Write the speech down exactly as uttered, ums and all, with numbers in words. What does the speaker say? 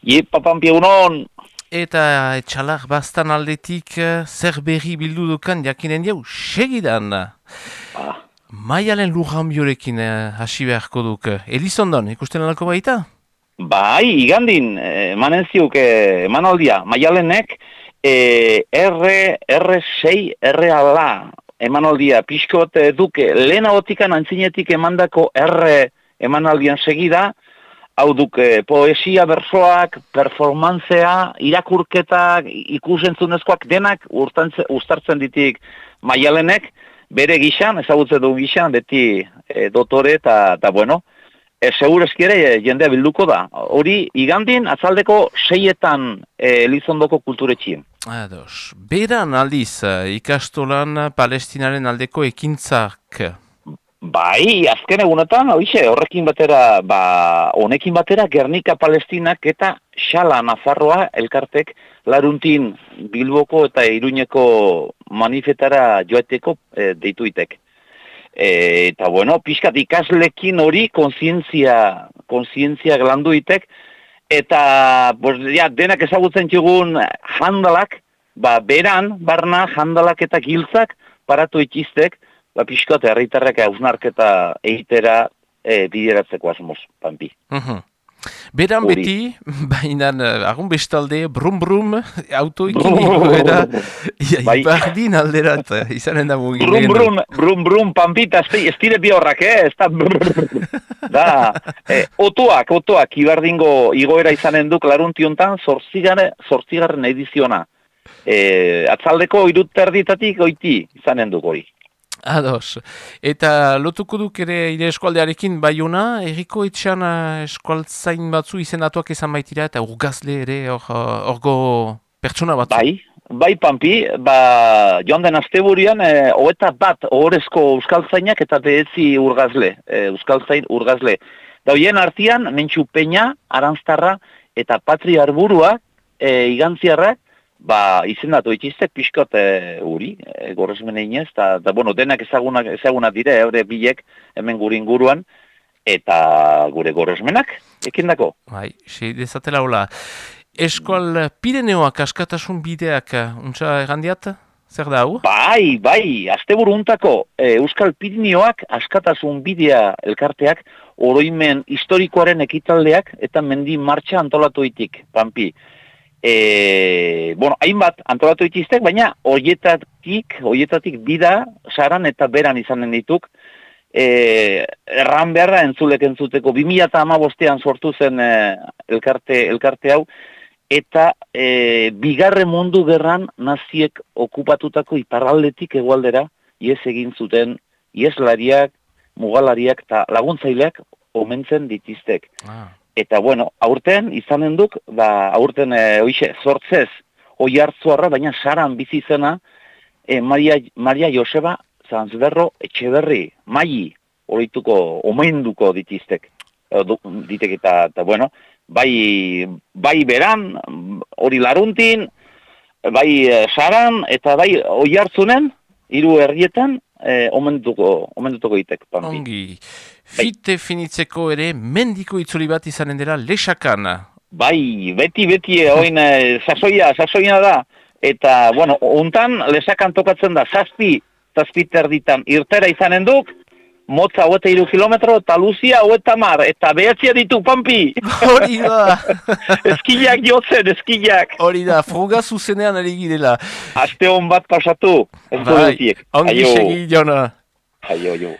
Iepa, Pampi, egunon! Eta etxalak bastan aldetik eh, zer berri bildu dukan jakinen jau, segidan. Ah, Maialen Lujambiorekin eh, hasi beharko duk. Elizondon, ikusten alako baita? bai, igandin, eh, emanen ziuk, eh, emanaldia, Maialenek, eh, R, R sei, R ala, emanaldia, pixkot eh, duke, lehen agotikan antzinetik emandako R emanaldian segida, hau duk, eh, poesia, bersoak, performantzea, irakurketak, ikusentzunezkoak denak urtantze, uztartzen ditik Maialenek, bere gixan, ezagutzen du gixan, beti eh, dotore eta, eta bueno, e, segurezki ere e, jendea bilduko da. Hori, igandin, atzaldeko seietan e, Elizondoko kulturetxien. Ados. Beran aldiz, eh, ikastolan Palestinaren aldeko ekintzak. Bai, azken egunetan, hoixe, horrekin batera, ba, honekin batera, Gernika Palestinak eta Xala Nafarroa elkartek laruntin Bilboko eta Iruñeko manifetara joateko e, deituitek. E, eta bueno, pixkat ikaslekin hori kontzientzia, kontzientzia glanduitek, eta pues, ja, denak ezagutzen txugun handalak, ba, beran, barna, handalak eta giltzak paratu itxiztek, ba, pixkat herritarrak hausnarketa egitera e, bideratzeko asmoz, Pampi. Uhum. Beran Uri. beti, baina agun bestalde, brum brum, autoikin ikuera, Bai. ibardin alderat, izanen da mugin. Brum, brum, brum, brum, Pampita, ez dire bi horrak, eh? Ez da, da, eh, otoak, otoak, ibardingo igoera izanen duk laruntiontan, zortzigaren, zortzigarren ediziona. Eh, atzaldeko iruterditatik goiti izanen duk hori. Ados. Eta lotuko duk ere ire eskualdearekin baiuna, erriko etxean uh, eskualtzain batzu izendatuak izan baitira, eta urgazle ere orgo pertsona batzu. Bai, bai Pampi, ba, joan den asteburian, e, hoeta bat ohorezko euskaltzainak eta behetzi urgazle, e, euskaltzain urgazle. Da hoien artian, Mentxu Peña, Aranztarra eta Patri Arburua, e, igantziarrak, ba, izendatu itxiztek pixkot e, uri, e, gorrezmen eginez, eta, da, bueno, denak ezagunak, ezagunak dire, eure bilek hemen gure inguruan, eta gure gorrezmenak, ekindako. Bai, sei dezatela hola. Eskual Pireneoak askatasun bideak, untsa errandiat, zer da hau? Bai, bai, asteburu untako e, Euskal Pirinioak askatasun bidea elkarteak oroimen historikoaren ekitaldeak eta mendi martxa antolatu itik, Pampi. E, bueno, hainbat antolatu itiztek, baina horietatik, horietatik bida, saran eta beran izanen dituk, e, erran beharra entzulek entzuteko, bi mila hamabostean sortu zen e, elkarte, elkarte hau, eta e, bigarren mundu gerran naziek okupatutako iparraldetik hegoaldera ihes egin zuten iheslariak, mugalariak eta laguntzaileak omentzen ditiztek. Ah. Eta bueno, aurten izanen duk, ba, aurten e, oixe, sortzez oi hartzuarra, baina saran bizi zena e, Maria, Maria Joseba Zanzberro Etxeberri, maili horituko, omenduko ditiztek, e, du, ditek eta, eta bueno, bai, bai beran, hori laruntin, bai e, saran, eta bai oi hartzunen, hiru herrietan, e, omenduko, omenduko ditek, Pampi. Ongi. Fite finitzeko ere mendiko itzuli bat izanen dela lesakan. Bai, beti, beti, oin, e, sasoia, sasoia da. Eta, bueno, untan, lesakan tokatzen da, zazpi, zazpi terditan, irtera izanen duk, motza hoeta iru kilometro, eta luzia hoeta mar, eta behatzia ditu, Pampi! Hori da! Eskilak jotzen, eskilak! Hori da, fruga zuzenean ari girela. Aste hon bat pasatu, ez Bai, dutiek. ongi segi, Jona. Aio, aio.